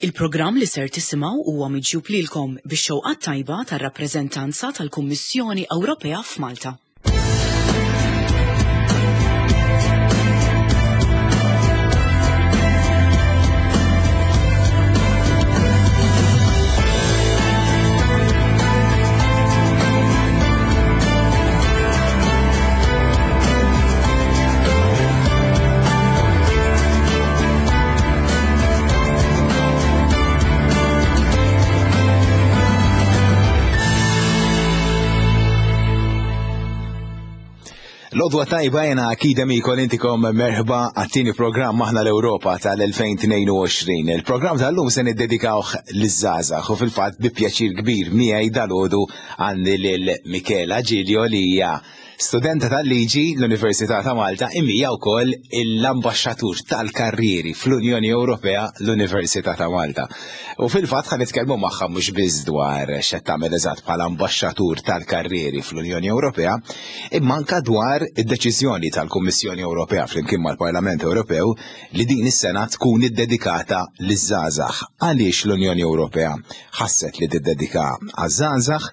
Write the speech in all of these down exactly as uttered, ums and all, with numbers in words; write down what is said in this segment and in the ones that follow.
Il-programm li ser tisimgħu huwa miġjub lilkom bix-xewqa tajba tar-rappreżentanza tal-Kummissjoni Ewropea f'Malta. L-għodwa tajba jena Akida Mikol intikom merħba għat-tieni programm Aħna l-Ewropa tal-elfejn tnejn u għoxrin. Il-programm tal-lum se niddedikawh liż-żgħażagħ u fil-fatt bi pjaċir kbir miegħi dal-għodu għandi lil Michela Giglio li hija studenta tal-liġi l-Università ta' Malta imma hija wkoll l-ambaxxatur tal-karrieri fl-Unjoni Ewropea l-Università ta' Malta. U fil-fatt ħa nitkellmu magħha mhux biss dwar x'qed tagħmel eżatt bħala ambaxxatur tal-karrieri fl-Unjoni Ewropea, imma anke dwar id-deċiżjoni tal-Kummissjoni Ewropea flimkien mal-Parlament Ewropew li din is-sena tkun iddedikata liż-żgħażagħ. Għaliex l-Unjoni Ewropea ħasset li tiddedika għaż-żgħażagħ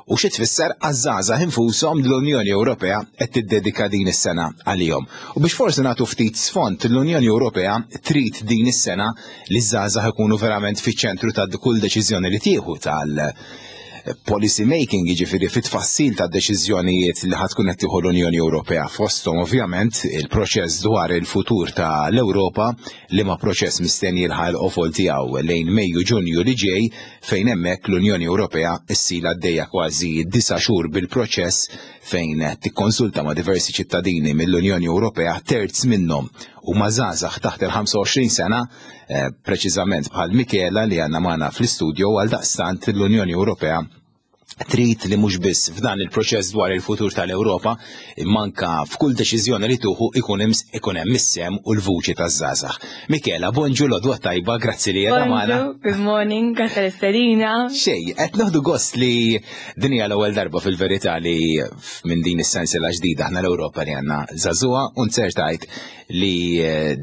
u xi tfisser għaż-żgħażagħ infushom l-Unjoni Ewropea qed tiddedika din is-sena għalihom. U biex forsi nagħtu ftit sfond, l-Unjoni Ewropea trid din is-sena li ż-żgħażagħ ikunu verament fiċ-ċentru ta' kull deċiżjoni li tieħu tal policy making, jiġifieri fit-tfassil ta' deċiżjonijiet li ħad tkun qed tieħu l-Unjoni Ewropea, fosthom ovvjament il-proċess dwar il-futur ta' l-Ewropa, li ma proċess mistenni jilħaq il-qofol tiegħu lejn Mejju Ġunju li ġej, fejn hemmhekk l-Unjoni Ewropea ssir għaddejja kważi disa' xhur bil-proċess fejn tikkonsulta ma' diversi ċittadini mill-Unjoni Ewropea, terz minnhom huma żgħażagħ taħt il-ħamsa u għoxrin sena, eh, preċiżament bħal Michela li għandna magħna fl-istudio. Għal daqstant l-Unjoni Ewropea trid li mhux biss f'dan il-proċess dwar il-futur tal-Ewropa, imma anke f'kull deċiżjoni li tuħu ikun hemm ikun hemm is-sem u l-vuċi taż-żgħażagħ. Michela, bonġu, l-għodwa tajba, grazzi li qiegħda magħna. Bonġu, good morning, grazzi l-istedina. Xej, qed noħdu gost li din hija l-ewwel darba fil-verità li minn din is-sensiela ġdida aħna l-Ewropa li għandna żagħżugħa, u nzertajt li, eh,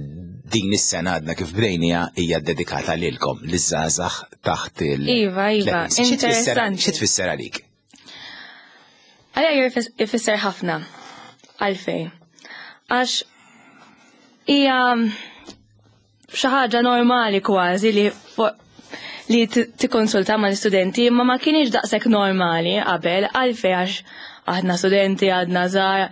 din is-sena għadna kif bdejnija hija ddedikata lilkom, liż-żgħażagħ taħt il- Iva, iva, tletin. Xi tfisser interessanti. xi tfisser għalik? Għalija jifis-, ifisser ħafna. Għalfej. Għax hija xi ħaġa normali kważi li fo-, li t-, tikkonsulta mal-istudenti, imma ma kienx daqshekk normali qabel, għalfej għax aħna studenti, għadna żgħar,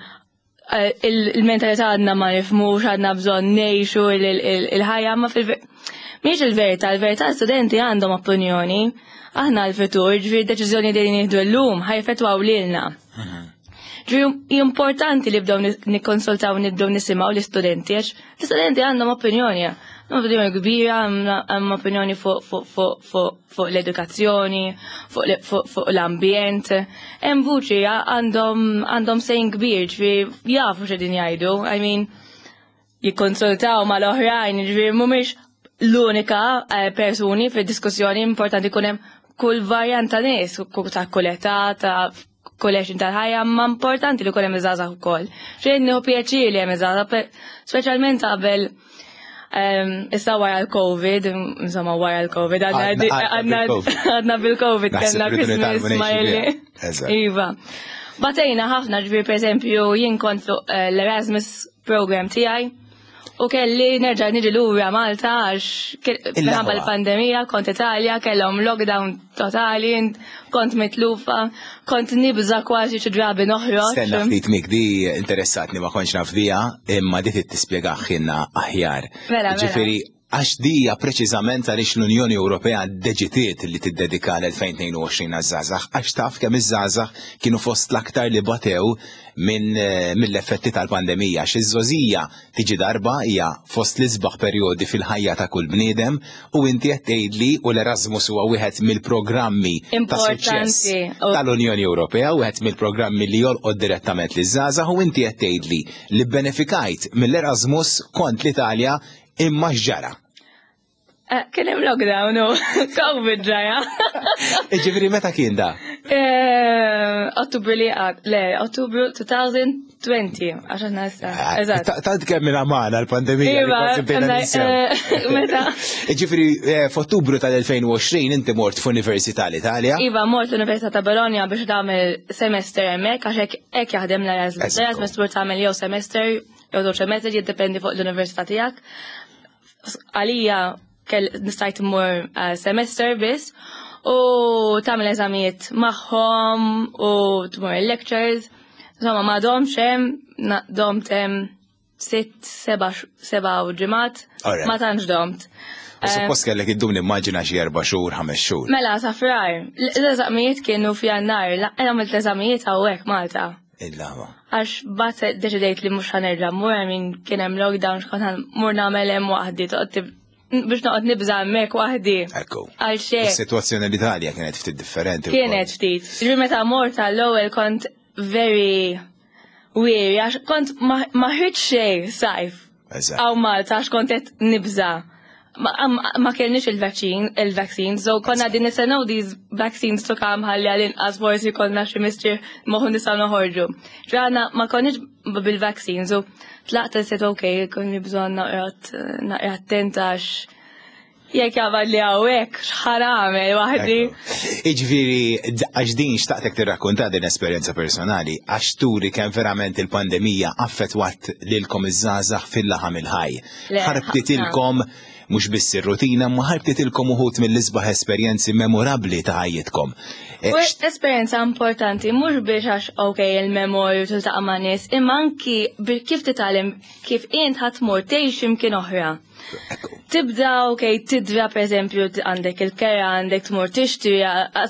eh, il-, il-mentalità għadna ma nifhmux, għadna bżonn ngħixu il-, il-, il-ħajja, ma fil-ver-, mhix il-verità, il-verità studenti għandhom opinjoni, aħna l-futur, ġifieri deċiżjoni li nieħdu llum ħajfetwaw lilna. Mhm. Ġifieri importanti li bdew ni-, nikkonsultaw, nibdew nisimgħu l-istudenti, għax l-istudenti għandhom opinjoni, għandhom opinjoni kbira, għandhom opinjoni fuq, fuq, fuq, fuq, fuq l-edukazzjoni, fuq l-, fuq, fuq l-ambjent. Hemm vuċi għandhom, għandhom sejn kbir, ġifieri jafu x'qegħdin jgħidu, I mean, jikkonsultaw mal-oħrajn, ġifieri mhumiex l-unika, eh, persuni fid-diskussjoni, importanti jkun hemm kull varjant ta' nies, ku-, ta' kull età, ta' kull għexin tal-ħajja, ma importanti li jkun hemm iż-żgħażagħ ukoll. Xejn nieħu pjaċir li hemm iż-żgħażagħ, pe-, speċjalment qabel, ehm, issa wara l-Covid, insomma wara l-Covid, għadna Għadna di-, għadna għadna bil-Covid. għadna bil-Covid, Naħseb kellna rridu Christmas nitgħallmu ngħixu ma jelli. biha. Eżatt. Iva. Batejna ħafna, ġifieri per eżempju jien kont fuq, eh, l-Erasmus program tiegħi u kelli nerġa' niġi lura Malta għax ke-, Il-laħwa. minħabba l-pandemija, kont Italja, kellhom lockdown totali, kont mitlufa, kont nibża kważi xi drabi noħroġ. Stenna ftit Mik, di interessatni ma kontx naf biha, imma di trid tispjegaħ aħjar. Mela, mela. Ġifieri, għax di hija preċiżament għaliex l-Unjoni Ewropea ddeċidiet li tiddedika l-elfejn tnejn u għoxrin għaż-żgħażagħ, għax taf kemm iż-żgħażagħ kienu fost l-aktar li batew minn, eh, mill-effetti tal-pandemija. Għax iż-żgħożija tiġi darba hija fost l-isbaħ perjodi fil-ħajja ta' kull bniedem, u inti qed tgħidli u l-Erasmus huwa wieħed mill-programmi ta' suċċess Importanti. tal-Unjoni Ewropea, wieħed mill-programmi li jolqod direttament liż-żgħażagħ, u inti qed tgħidli li bbenefikajt mill-Erasmus kont l-Italja imma x'ġara? Eh, kien hemm lockdown u Covid ġraja. Ġifieri meta kien da? Eh, Ottubru li għad, le, Ottubru two thousand twenty, għax aħna issa. Eżatt. Tant kemm minn għamana l-pandemija li Iva, kważi bdejna eh, ninsew. Meta. Ġifieri, eh, f'Ottubru tal-elfejn u għoxrin inti mort f'Università l-Italja. Iva, mort l-Università ta' Bologna biex tagħmel semester hemmhekk, għax hekk hekk jaħdem l-Erasmus. Eżattu. L-Erasmus tmur tagħmel jew semester jew żewġ semester, jiddependi fuq l-università tiegħek. Għalija kell nistajt immur eh, semester biss u tagħmel eżamijiet magħhom u tmur il-lectures. Insomma, ma domtx hemm, na- domt hemm sitt, seba' seba' u ġimgħat. Alright. Ma tantx domt. U suppost kellek iddum, nimmaġina, xi erba' xhur, ħames xhur. Mela, sa Frar, l-eżamijiet kienu f'Jannar, la- għamilt l-eżamijiet hawnhekk Malta. Il-lama. Għax bat deċidejt li mhux ħa nerġa' mmur, minn kien hemm lockdown, x'kont ħa mmur nagħmel hemm waħdi, toqgħod tib- biex noqgħod nibża' hemmhekk waħdi. Ekku. Għal xejn. Is-sitwazzjoni l-Italja kienet ftit differenti wkoll. Kienet ftit. Ġifieri meta mort għall-ewwel kont very weary, għax kont ma ma ħriġt xejn sajf. Eżatt. Hawn Malta, għax kont qed nibża'. Ma, ma, ma kellniex il-vaccine, il-vaccine, so konna din nistennew these vaccines to come ħalli għal-inqas forsi konna xi mistrieħ moħu nistgħu noħorġu. Ġrana ma konniex bil-vaccine, so tlaqt set ok, konni bżonn naqra naqra attenta għax jekk jaqbad li hawnhekk x'ħa nagħmel waħdi. Iġifieri, għax din xtaqtek tirrakkonta din esperjenza personali, għax turi kemm verament il-pandemija affettwat lilkom iż-żgħażagħ fil-laħam il-ħaj. Le, Ħarbtitilkom mhux biss ir-rutina, ma ħarbtitilkom uħud mill-isbaħ esperjenzi memorabbli ta' ħajjitkom. Eh, U esperjenza importanti, mhux biex għax ok il-memorju tiltaqa' ma' nies, imma anki bi- kif titgħallem kif int ħa tmur tgħix imkien oħra. Ekku. Tibda, ok, tidra per eżempju għandek il-kera, għandek tmur tixtri,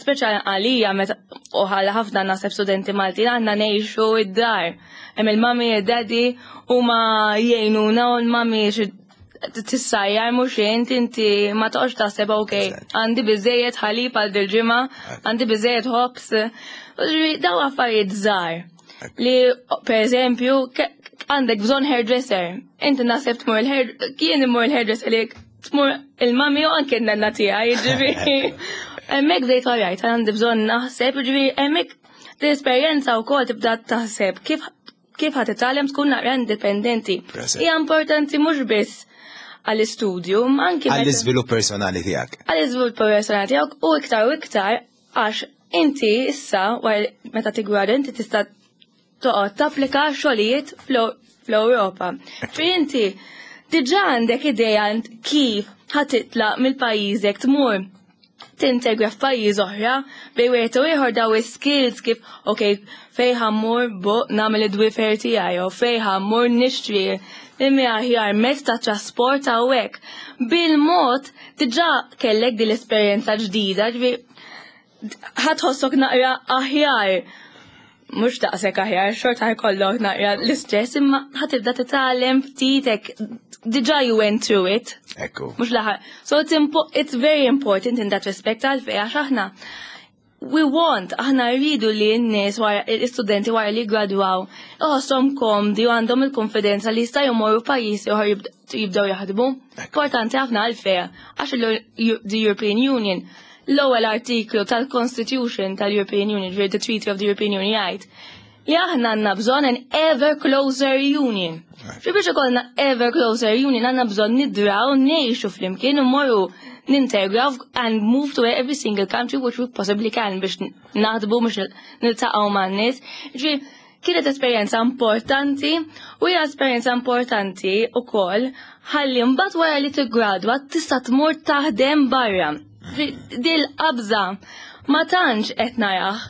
speċa għalija meta u ħalla ħafna naħseb studenti Maltin għandna ngħixu id-dar. Hemm il-mami, id-daddy huma jgħinuna u l-mami xi tissajjar mhux int inti ma toqgħodx taħseb ok, Eżatt. għandi biżejjed ħalib għal dil-ġimgħa, għandi biżejjed ħobż. Daw affarijiet żgħar li per eżempju ke- għandek bżonn hairdresser. Inti naħseb tmur il-hair, kien imur il-hairdresser li tmur il-mami u anke n-nanna tiegħi, jiġifieri. Hemmhekk bdejt alright, għandi bżonn naħseb, jiġifieri hemmhekk l-esperjenza wkoll tibda taħseb kif kif ħa titgħallem tkun naqra indipendenti. Present. Hija importanti mhux biss għall-istudju, ma anke meta- Għall-iżvilupp personali tiegħek. Għall-iżvilupp personali tiegħek u iktar u iktar għax inti issa wara meta tigwada inti tista' toqgħod tapplika xogħlijiet fl- fl-Ewropa. Ġifieri inti diġà għandek idea int kif ħa titlaq mill-pajjiżek tmur tintegra f'pajjiż oħra bej wieħed u ieħor daw is-skills kif ok fejn ħa mmur bu nagħmel id-dwifer tiegħi jew fejn ħa mmur nixtri imma aħjar mezz ta' trasport hawnhekk. Bil-mod diġà kellek din l-esperjenza ġdida, ġifieri ħa tħossok naqra aħjar. Mhux daqshekk aħjar, xorta ħa jkollok naqra l-istress, imma ħa tibda titgħallem ftitek diġà you went through it. Ekku. Mhux laħar. So it's, impo it's very important in that respect għalfej għax aħna we want, aħna rridu li n-nies wara l-istudenti wara li gradwaw iħosshom komdi u għandhom il-konfidenza li jista' jmorru pajjiż ieħor jibd- jibdew jaħdmu. Importanti ħafna għalfej għax il- the European Union, l-ewwel artiklu tal-Constitution tal-European Union, ġifieri the Treaty of the European Union, jgħid li aħna għandna bżonn an ever closer union. Ġi biex ikollna ever closer union għandna bżonn nidraw, ngħixu flimkien u morru nintegraw and move to every single country which we possibly can biex naħdbu, biex niltaqgħu man-nies. Ġi kienet esperjenza importanti u hija esperjenza importanti wkoll ħalli mbagħad wara li tiggradwa tista' tmur taħdem barra. Dil qabża ma tantx qed narah.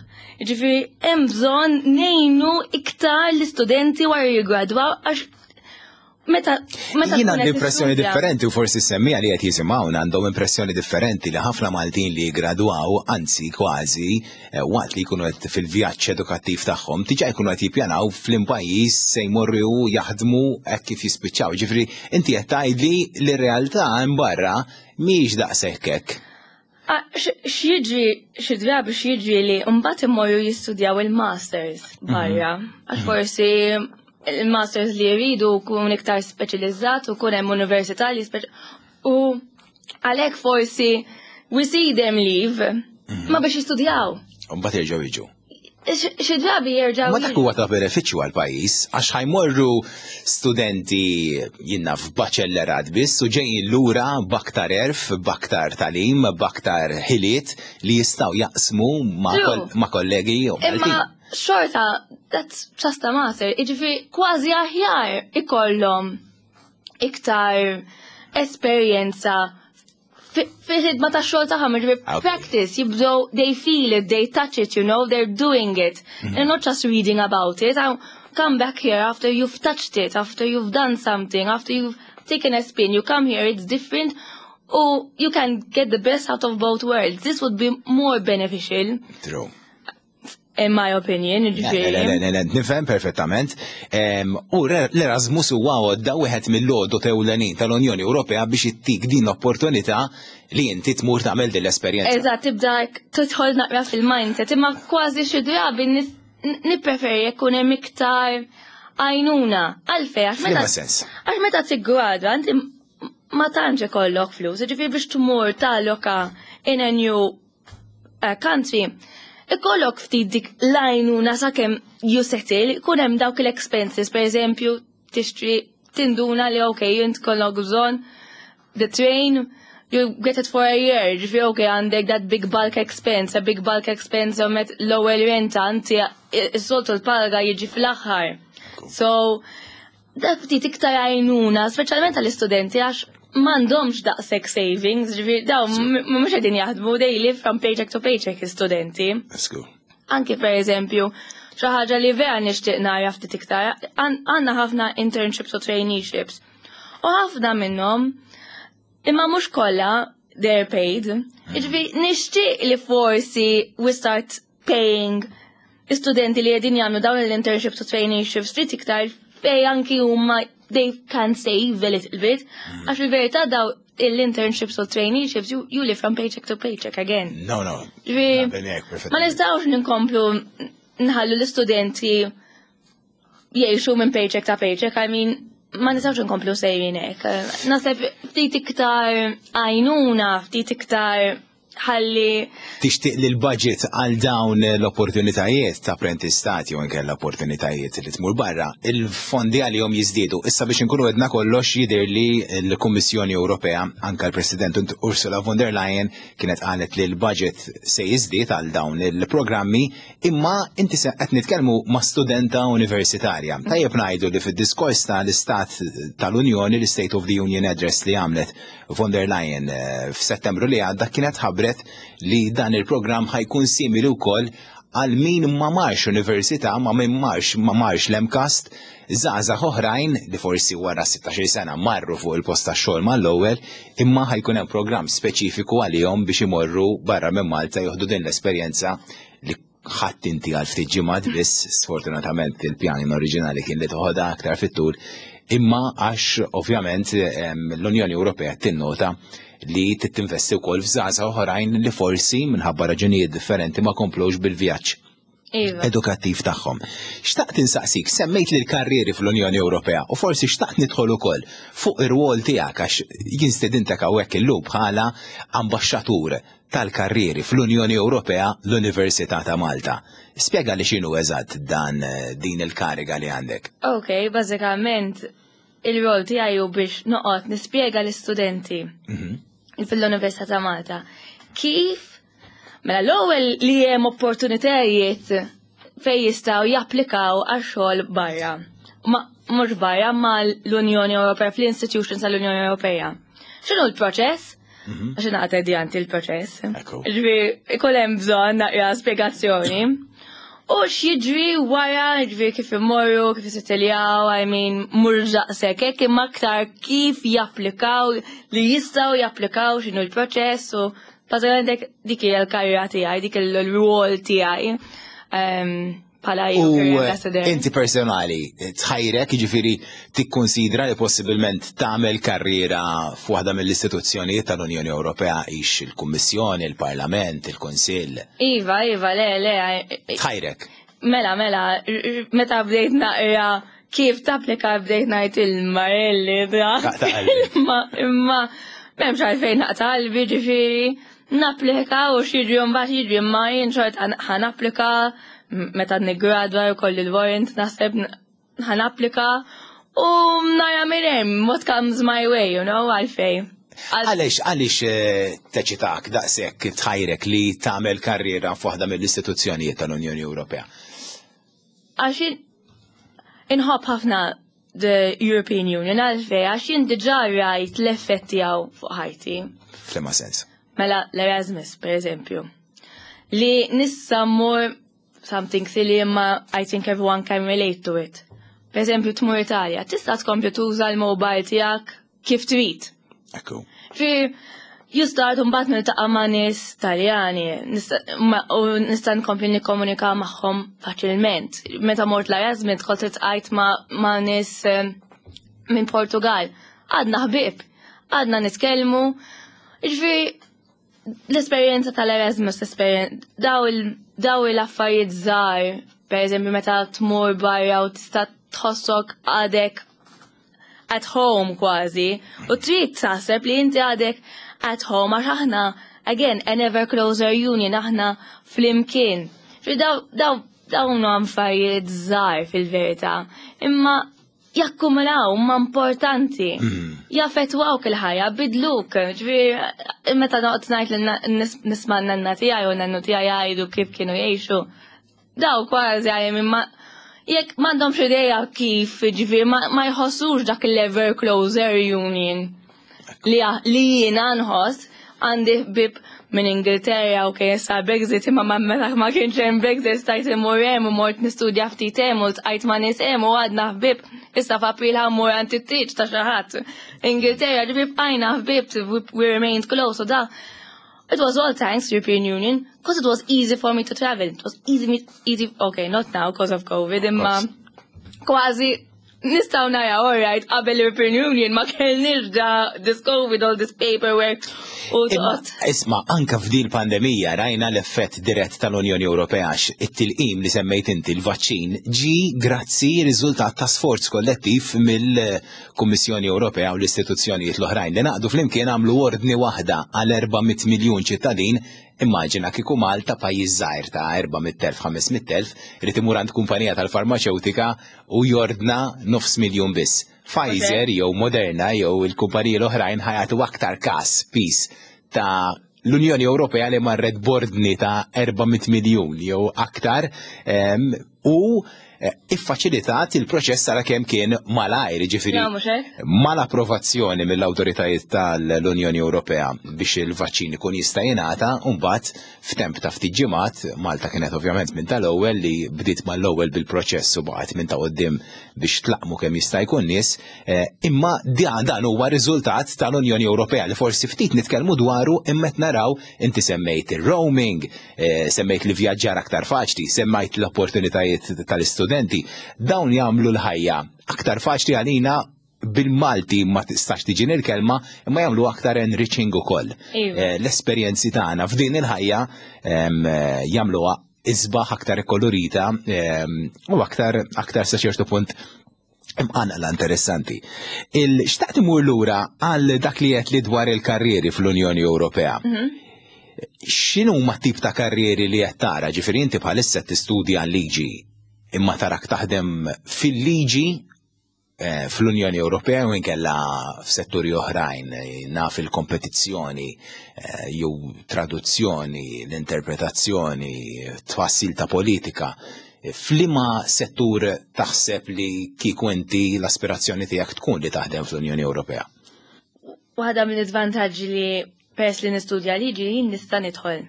Ġifieri hemm bżonn ngħinu iktar l-istudenti wara jiggradwaw għax meta meta Jien tkun għandi qed impressjoni tistudja- differenti u forsi semmija li qed jisimgħuna għandhom impressjoni differenti li ħafna Maltin li jgradwaw, anzi kważi eh, waqt li jkunu qed fil-vjaġġ edukattiv tagħhom, diġà jkunu qed jippjanaw fl-pajjiż se jmorru jaħdmu hekk kif jispiċċaw. Ġifieri inti qed tgħidli li r-realtà hemm barra mhijiex daqshekk hekk. Ah, x- X'jiġri xi drabi x'jiġri li mbagħad imorru jistudjaw il-masters barra. Għax forsi il-masters li jridu kun iktar speċjalizzat u kun hemm università li speċ u għalhekk forsi we see them leave ma biex jistudjaw. U mbagħad jerġgħu jiġu. Xi drabi jerġgħu. Ma dak huwa ta' benefiċċju għal pajjiż għax ħa jmorru studenti jiena f'baċellerat biss u ġejjin lura b'aktar għerf, b'aktar tagħlim, b'aktar ħiliet li jistgħu jaqsmu ma' True. kol- ma' kollegi u Imma xorta, that's just a matter. Iġifieri kważi aħjar ikollhom iktar esperjenza fi- fil-ħidma ta' xogħol tagħhom, jiġifieri Okay. practice, jibdew, they feel it, they touch it, you know, they're doing it. They're not just reading about it. I come back here after you've touched it, after you've done something, after you've taken a spin, you come here, it's different. Or you can get the best out of both worlds. This would be more beneficial, True. in my opinion. Le, le, Ġifieri. le, le, nifhem perfettament. Em, U re- l-Erasmus huwa għodda wieħed mill-għodod ewlenin tal-Unjoni Ewropea biex ittik din l-opportunità li inti tmur tagħmel din l-esperjenza. Eżatt, tibda tidħol naqra fil-mindset, imma kważi xi drabi nis- nippreferi jkun hemm iktar għajnuna. Għalfej, għax meta F'liema sens? għax meta tiggradwa, inti ma tantx ikollok flus, ġifieri biex tmur talloka in a new uh, country, ikollok ftit dik l-għajnuna sakemm you settle, ikun hemm dawk l-expenses, per eżempju, tixtri tinduna li okay, int kollok bżonn the train, you get it for a year, ġifieri okay, għandek that big bulk expense, a big bulk expense u met l-ewwel renta, inti s-soltu l-paga jiġi fl-aħħar. So, dak ftit iktar għajnuna, speċjalment għall-istudenti, għax m'għandhomx daqshekk savings, ġifieri daw mhux qegħdin jaħdmu, they live from paycheck to paycheck istudenti. Let's go. Anki per eżempju, xi ħaġa li vera nixtieq nara ftit iktar, għandna ħafna internships u traineeships. U ħafna minnhom, imma mhux kollha they're paid. Ġifieri nixtieq li forsi we start paying istudenti li qegħdin jagħmlu dawn l-internships u traineeships ftit iktar fej anki huma they can save a little bit. Għax il-verità daw l-internships u traineeships you, you live from paycheck to paycheck again. No, no. Ġifieri, Naqbel miegħek ma perfettament. nistgħux ninkomplu nħallu l-istudenti jgħixu minn paycheck ta' paycheck, I mean, ma nistgħux nkomplu sejrin hekk. Naħseb ftit iktar għajnuna, ftit iktar ħalli Tixtieq li l-budget għal dawn l-opportunitajiet ta' apprentistati u anke l-opportunitajiet li tmur barra, il-fondi għalihom jiżdiedu. Issa biex inkunu għedna kollox jidher li l-Kummissjoni Ewropea, anka l-President Ursula von der Leyen kienet qalet li l-budget se jiżdied għal dawn il-programmi, imma inti se qed nitkellmu ma' studenta universitarja. Tajjeb ngħidu li fid-diskors tal-Istat tal-Unjoni, l-State of the Union Address li għamlet von der Leyen eh, f'Settembru li għadda kienet ħabbret li dan il-programm ħa jkun simili wkoll għal min ma marx università, ma min marx ma marx l-MCAST, żgħażagħ oħrajn li forsi wara sittax-il sena marru fuq il-post tax-xogħol mal-ewwel, imma ħa jkun hemm programm speċifiku għalihom biex imorru barra minn Malta joħdu din l-esperjenza li ħadd inti għal ftit ġimgħat biss, sfortunatament il-pjan oriġinali kien li toħodha aktar fit-tul, imma għax ovvjament em, l-Unjoni Ewropea tinnota li tinvesti wkoll f'żgħażagħ oħrajn li forsi minħabba raġunijiet differenti ma komplux bil-vjaġġ Iva. edukattiv tagħhom. Xtaqt insaqsik, semmejt li l-karrieri fl-Unjoni Ewropea u forsi xtaqt nidħol ukoll fuq ir-rwol tiegħek għax jien stedintek hawnhekk illum bħala ambaxxatur tal-karrieri fl-Unjoni Ewropea l-Università ta' Malta. Spjega li x'inhu eżatt dan eh, din il-kariga li għandek. Ok, bażikament il-rol tiegħi hu biex noqgħod nispjega l-istudenti fil-Università ta' Malta kif mela l-ewwel li hemm opportunitajiet fejn jistgħu japplikaw għal xogħol barra. Ma mhux barra ma l-Unjoni Ewropea fl-institutions tal-Unjoni Ewropea. X'inhu l-proċess? Għax naqgħod edjanti l-proċess. Ekku. Ġifieri ikun hemm bżonn naqra spjegazzjoni. U x'jiġri wara, ġifieri kif imorru, kif jissettiljaw, I mean, mhux daqshekk hekk imma aktar kif japplikaw, li jistgħu japplikaw x'inhu l-proċess u bażikament dik dik hija l-karriera tiegħi, dik il-rwol tiegħi ehm, bħala U career ambassador. inti personali, tħajrek ġifiri tikkonsidra li possibilment tagħmel karriera f'waħda mill-istituzzjonijiet tal-Unjoni Ewropea ix il-Kummissjoni, il-Parlament, il-Kunsill. Iva, iva, le, le, Tħajrek. Mela, mela, r- r- meta bdejt naqra kif tapplika bdejt ngħid il-marelli da. Taqta' qalbi. Imma, imma, m'hemmx għalfejn naqta' qalbi ġifieri, napplika u x'jiġri mbagħad jiġri imma jien xort ħa napplika Meta niggradwa u kolli l-warrant, naħseb ħa napplika u nara minn hemm what comes my way, you know, għalfej. Għalix, għalix eh, teċitak daqshekk, tħajrek li tagħmel karriera f'waħda mill-istituzzjonijiet tal-Unjoni Ewropea? Għax inħobb ħafna the European Union. Għalfej? Għax jien diġà rajt l-effett tiegħu fuq ħajti. F'liema sens? Mela l-Erasmus, per eżempju. Li nista' mmur, something silly imma I think everyone can relate to it. Per eżempju, tmur Italja, tista' tkompli tuża l-mobile tiegħek kif trid. Ekku. Fi you start mbagħad niltaqa' ma' nies Taljani u nista' nkompli nikkomunika magħhom faċilment. Meta mort l-Erasmus kont iltqajt ma' nies eh, minn Portugal. Għadna ħbieb, għadna nitkellmu. Ġifieri l-esperjenza tal-Erasmus, daw il-affarijiet żgħar, per eżempju meta tmur barra u tista' tħossok għadek at home kważi, u trid taħseb li inti għadek at home għax aħna, again, an ever closer union, aħna flimkien. Daw, daw, dawn affarijiet żgħar fil-verità, imma jakkumulaw, ma importanti. Mm. Jaffettwawk il-ħajja, bidluk. Ġifieri, meta noqgħod ngħid li nisma' n-nanna tiegħi u nannu tiegħi jgħidu kif kienu jgħixu, daw kważi għajem imma jekk m'għandhomx idea kif, ġifieri, ma jħossux dak l-ever closer union li li jiena nħoss. Għandi ħbieb minn Ingilterra u kien issa Brexit, imma ma meta ma kienx hemm Brexit stajt immur hemm u mort nistudja ftit hemm u ltqajt ma' nies hemm u għadna ħbieb. Issa f'April ħa mmur għand it-tieġ ta' xi ħadd. Ingilterra, ġifieri bqajna ħbieb, we remained close u da. It was all thanks to European Union because it was easy for me to travel. It was easy, easy, okay, not now because of COVID, imma kważi nistgħu naraw, all right, qabel l-European Union ma kellniex da this COVID, all this paperwork u toqgħod. Isma, anka f'din pandemija rajna l-effett dirett tal-Unjoni Ewropea, għax it-tilqim li semmejt inti, l-vaċċin, ġi grazzi riżultat ta' sforz kollettiv mill-Kummissjoni Ewropea u l-istituzzjonijiet l-oħrajn li ngħaqdu flimkien, għamlu ordni waħda għal erba' mitt miljun ċittadin. Immaġina kieku Malta, pajjiż żgħir ta' erba' mitt elf, ħames mitt elf, irid imur għand kumpanija tal-farmaċewtika u jordna nofs miljun biss. Pfizer jew Moderna jew il-kumpaniji l-oħrajn ħa jagħtu aktar kas pis ta' l-Unjoni Ewropea li marret b'ordni ta' erba' mitt miljun jew aktar em, u eh, iffaċilitat il-proċess sara kemm kien malajr, ġifieri Ja, mhux hekk? mal-approvazzjoni mill-awtoritajiet tal-Unjoni Ewropea biex il-vaċċin ikun jista' jingħata, u mbagħad f'temp ta' ftit ġimgħat Malta kienet ovvjament minn tal-ewwel li bdiet mal-ewwel bil-proċess u baqgħet minn ta' quddiem biex tlaqmu kemm jista' jkun nies, eh, imma dan dan huwa riżultat tal-Unjoni Ewropea li forsi ftit nitkellmu dwaru, imma qed naraw, inti semmejt il-roaming, eh, semmejt li vjaġġar aktar faċli, semmejt l-opportunitajiet tal-istudenti, dawn jagħmlu l-ħajja aktar faċli għalina. Bil-Malti ma tistax tiġi il-kelma, imma jagħmlu aktar enriching ukoll. Iva. Eh, L-esperjenzi tagħna f'din il-ħajja em, eh, jagħmluha isbaħ, aktar kolorita em, u aktar aktar sa ċertu punt imqanqla, interessanti. Il-xtaqt imur lura għal dak li qed li dwar il-karrieri fl-Unjoni Ewropea. X'inhu ma tip ta' karrieri li qed tara? Ġifieri inti bħalissa tistudja liġi, imma tarak taħdem fil-liġi eh, fl-Unjoni Ewropea u inkella f'setturi oħrajn, eh, naf il-kompetizzjoni, eh, jew traduzzjoni, l-interpretazzjoni, tfassil ta' politika. F'liema settur taħseb li kieku inti l-aspirazzjoni tiegħek tkun li taħdem fl-Unjoni Ewropea? Waħda mill-iżvantaġġi li peress li nistudja liġi jien nista' nidħol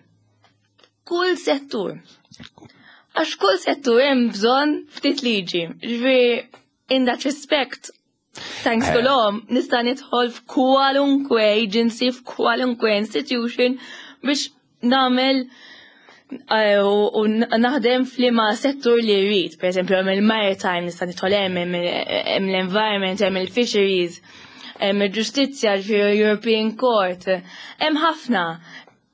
kull settur. Għax kull settur hemm bżonn ftit liġi. Ġifieri in that respect, thanks to Eh. law, nista' nidħol f'kwalunkwe agency, f'kwalunkwe institution biex nagħmel eh, u u naħdem f'liema settur li rrid. Per eżempju, hemm il-maritime, nista' nidħol hemm, hemm hemm l-environment, hemm il-fisheries, hemm il-ġustizzja, ġifieri European Court, hemm ħafna.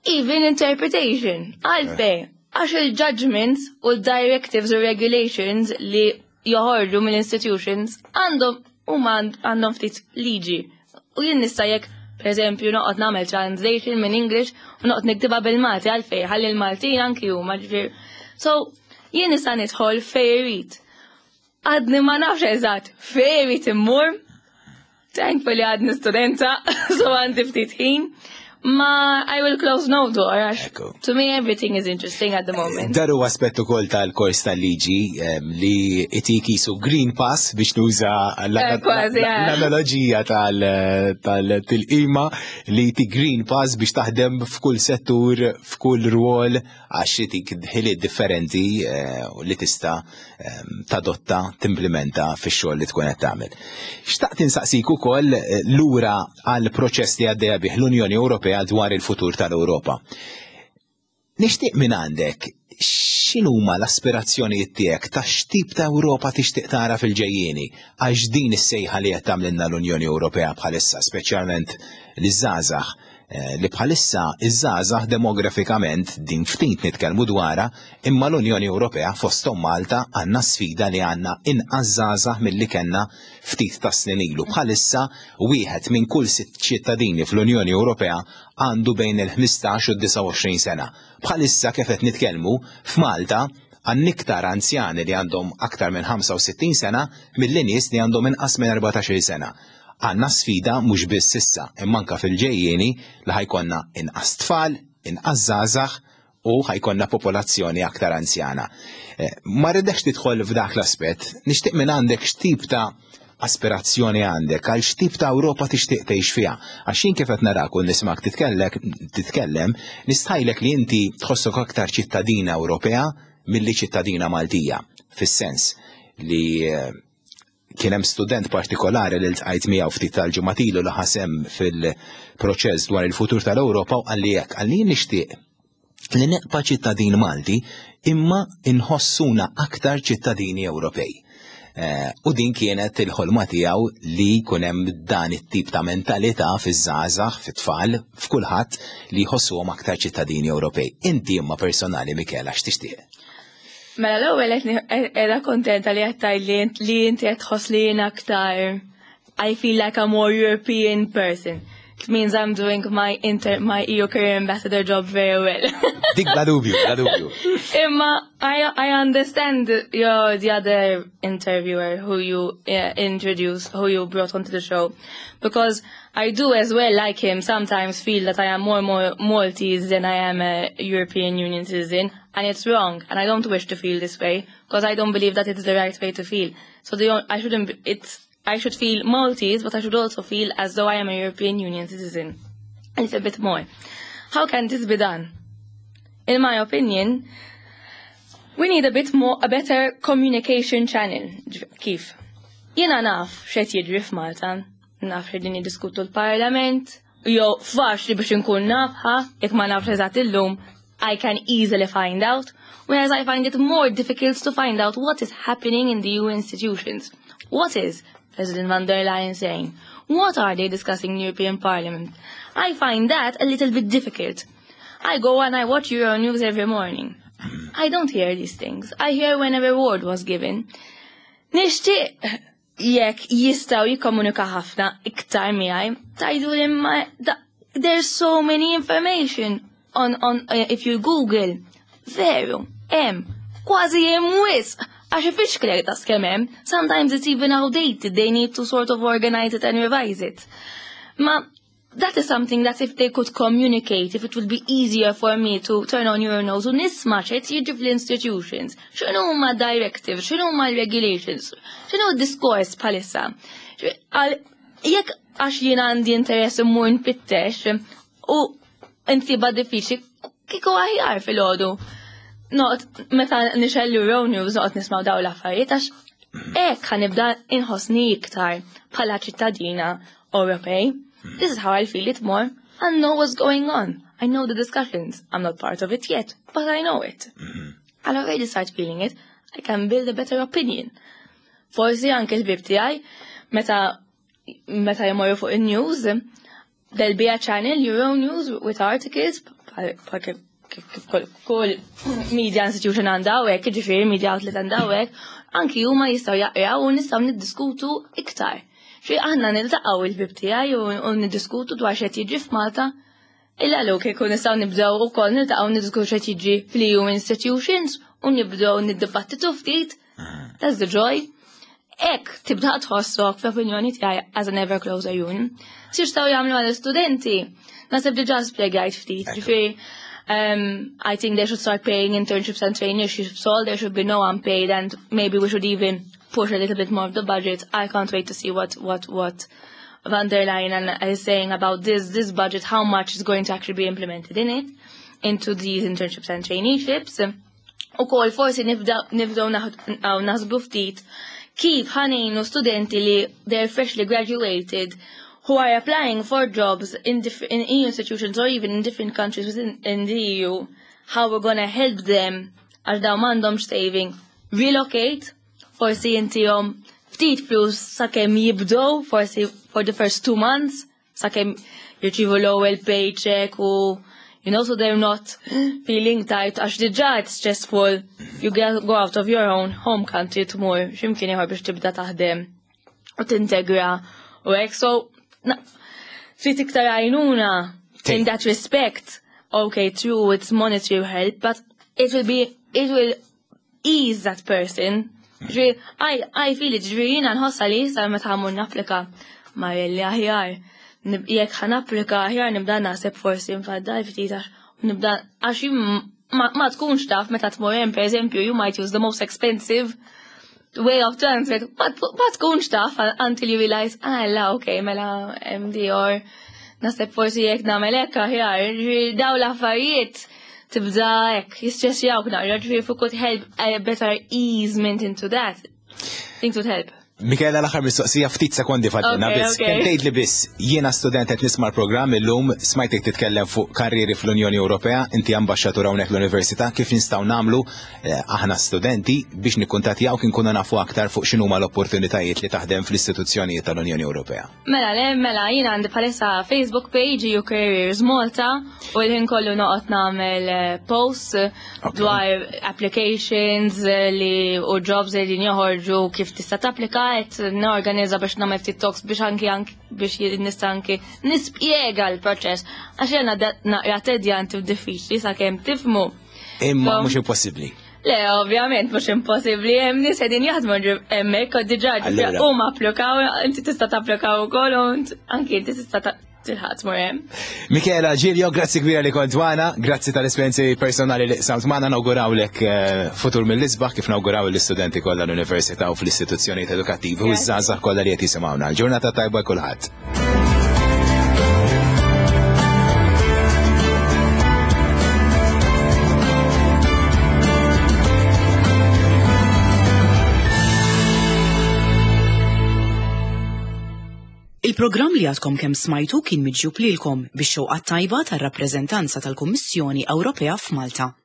Even interpretation, għalfej, għax il-judgments u l-directives u regulations li joħorġu mill-institutions għandhom huma għandhom ftit liġi. U jien nista' jekk, per eżempju, noqgħod nagħmel translation minn English u noqgħod niktibha bil-Malti, għalfej, ħalli l-Maltin anki huma, ġifieri. So, Jien nista' nidħol fejn irrid. Għadni ma nafx eżatt fejn irrid immur. Thankfully għadni studenta, so għandi ftit ħin. Ma I will close no door, għax Ekku. to me everything is interesting at the moment. Dan huwa aspett ukoll tal-kors tal-liġi em, li itik qisu green pass biex nuża Eh, kważi, eh. l-analogija tal-tilqima li jtik green pass biex taħdem f'kull settur, f'kull rwol, għax itik ħiliet differenti eh, u li tista' em, tadotta, timplementa fix-xogħol li tkun qed tagħmel. Xtaqt insaqsik ukoll eh, lura għal proċess li għaddejja bih l-Unjoni Ewropea dwar il-futur tal-Ewropa. Nixtieq minn għandek x'inhuma l-aspirazzjonijiet tiegħek ta' x'tip ta' Ewropa tixtieq tara fil-ġejjieni għax din is-sejħa li qed tagħmlilna l-Unjoni Ewropea bħalissa, speċjalment liż-żgħażagħ eh, li bħalissa iż-żgħażagħ demografikament din ftit nitkellmu dwarha, imma l-Unjoni Ewropea fosthom Malta għandna sfida li għandna inqas żgħażagħ milli kellna ftit ta' snin ilu. Bħalissa wieħed minn kull sitt ċittadini fl-Unjoni Ewropea għandu bejn il-ħmistax u d-disgħa u għoxrin sena. Bħalissa kif qed nitkellmu f'Malta għandna iktar anzjani li għandhom aktar minn ħamsa u sittin sena milli nies li għandhom inqas minn erbatax-il sena. Għandna sfida mhux biss issa, imma anke fil-ġejjieni li ħa jkollna inqas tfal, inqas żgħażagħ u ħa jkollna popolazzjoni aktar anzjana. Eh, Ma rridekx tidħol f'dak l-aspett, nixtieq minn għandek x'tip ta' aspirazzjoni għandek, għal x'tip ta' Ewropa tixtieq tgħix fiha. Għax jien kif qed narak u nismak titkellek titkellem, nistħajlek li inti tħossok aktar ċittadina Ewropea milli ċittadina Maltija, fis-sens li eh, kien hemm student partikolari li ltqajt miegħu ftit tal-ġimgħat ilu li ħa sehem fil-proċess dwar il-futur tal-Ewropa u qalli hekk, qalli nixtieq li nibqa' ċittadin Malti imma inħossuna aktar ċittadini Ewropej. Eh, u din kienet il-ħolma tiegħu li jkun hemm dan it-tip ta' mentalità fiż-żgħażagħ, fit-tfal, f'kulħadd li jħossuhom aktar ċittadini Ewropej. Inti imma personali, Michela, x'tixtieq? Mela, l-ewwel qed qiegħda kontenta li qed tgħid li int- li inti qed tħoss li jien aktar I feel like a more European person. It means I'm doing my inter my E U Career Ambassador job very well. Dik bla dubju, bla dubju. Imma I I understand your the other interviewer who you uh, introduced, who you brought onto the show, because I do as well, like him, sometimes feel that I am more more Maltese than I am a European Union citizen, and it's wrong, and I don't wish to feel this way because I don't believe that it's the right way to feel. So the I shouldn't. Be, it's I should feel Maltese, but I should also feel as though I am a European Union citizen. A little bit more. How can this be done? In my opinion, we need a bit more, a better communication channel. Kif? Jiena naf x'qed jiġri f'Malta, naf x'qegħdin jiddiskutu l-Parlament, jew faċli biex inkun nafha, jekk ma nafx eżatt illum, I can easily find out, whereas I find it more difficult to find out what is happening in the E U institutions. What is President von der Leyen saying? What are they discussing in the European Parliament? I find that a little bit difficult. I go and I watch Euronews every morning. I don't hear these things. I hear when a reward was given. Nixtieq jekk jistgħu jikkomunika ħafna iktar miegħi, tgħidu li ma there's so many information on on uh, if you Google. Veru, hemm, kważi hemm wisq. Għax ifixklek ta' kemm hemm, sometimes it's even outdated, they need to sort of organize it and revise it. Ma that is something that if they could communicate, if it would be easier for me to turn on Euronews u nisma' x'qed jiġri fl-institutions, x'inhu huma directives, x'inhu huma regulations, x'inhu d-diskors bħalissa. Jekk għax jien għandi interess immur nfittex u nsibha diffiċli, kieku aħjar filgħodu. Not, meta nixgħel Euronews noqgħod nisma' daw l-affarijiet għax hekk ħa nibda inħossni iktar bħala ċittadina Ewropej. This is how I feel it more. I know what's going on. I know the discussions. I'm not part of it yet, but I know it. I'll already start feeling it. I can build a better opinion. Forsi anke l-ħbieb tiegħi meta meta jmorru fuq il-news, there'll be a channel, Euronews, with articles, kif kull media institution għandha hekk, ġifieri media outlet għandha hekk, anki huma jistgħu jaqraw u nistgħu niddiskutu iktar. Xi aħna niltaqgħu il-ħbieb tiegħi u niddiskutu dwar x'qed jiġri f'Malta. Illa lu kieku nistgħu nibdew ukoll niltaqgħu niddiskutu x'qed jiġri fl-E U institutions. u nibdew niddibattitu ftit, that's the joy. Hekk tibda tħossok fl-opinjoni tiegħi as an ever closer union. X'jistgħu jagħmlu għall-istudenti? Naħseb diġà spjegajt ftit, ġifieri um, I think they should start paying internships and traineeships all. There should be no unpaid, and maybe we should even push a little bit more of the budget. I can't wait to see what what what von der Leyen is saying about this this budget, how much is going to actually be implemented in it, into these internships and traineeships. Ukoll forsi nibdew naħsbu ftit kif ħa ngħinu studenti li they're freshly graduated who are applying for jobs in, in E U institutions or even in different countries within in the E U, how we're gonna help them għax dawn m'għandhomx saving, relocate, forsi intihom ftit flus sakemm jibdew, forsi for the first two months, sakemm jirċivu l-ewwel paycheck u you know, so they're not feeling tight, għax diġà it's stressful. You get, go out of your own home country tmur x'imkien ieħor biex tibda taħdem u tintegra u hekk. So, ftit iktar għajnuna in that respect. Okay, true, it's monetary help, but it will be, it will ease that person. Ġifieri, I, I feel it, ġifieri jiena nħossa li sa meta ħa mmur napplika marelli aħjar. Jekk ħa napplika aħjar nibda naħseb forsi nfaddal ftit għax nibda għax ma, ma tkunx taf meta tmur hemm, per eżempju, you might use the most expensive way of transport, ma, ma tkunx taf until you realize, ah, la, okay, mela M D or naħseb forsi jekk nagħmel hekk aħjar, ġifieri daw l-affarijiet tibda hekk jistressjawk naqra, ġifieri if we could help a better easement into that, things would help. Michela, l-aħħar mistoqsija, ftit sekondi fadlilna Okay, biss. okay. Kemm tgħid li biss jiena student qed nisma' l-programm illum, smajtek titkellem fuq karrieri fl-Unjoni Ewropea, inti ambaxxatur hawnhekk l-Università, kif nistgħu nagħmlu eh, aħna studenti biex nikkuntattjaw kien nkunu nafu aktar fuq x'inhuma l-opportunitajiet li taħdem fl-istituzzjonijiet tal-Unjoni Ewropea? Mela, le, mela, jiena għandi bħalissa Facebook page E U Careers Malta u l-ħin kollu noqgħod nagħmel eh, posts Ok. dwar applications eh, li u jobs li din joħorġu, kif tista' tapplika, qed norganizza biex nagħmel ftit talks biex anki anki biex nista' anki nispjega l-proċess għax jiena naqra tedjanti u diffiċli sakemm tifhmu. Imma So- mhux impossibbli. Le, ovvjament, mhux impossibbli, hemm nies qegħdin jaħdmu hemmhekk u diġà Allura. huma applikaw, inti tista' tapplikaw ukoll u int- anki inti tista' ta- tilħaq tmur hemm. Michela Giglio, grazzi kbira li kont magħna, grazzi tal-esperjenzi personali li qsamt magħna, nawgurawlek eh, futur mill-isbaħ kif nawguraw l-istudenti kollha l-università u fl-istituzzjonijiet edukattivi u Grazzi. ż-żgħażagħ kollha li qed jisimgħuna. Ġurnata tajba kulħadd. Il-programm li għadkom kemm smajtu kien miġjub lilkom bix-xewqa tajba tar-rappreżentanza tal-Kummissjoni Ewropea f'Malta.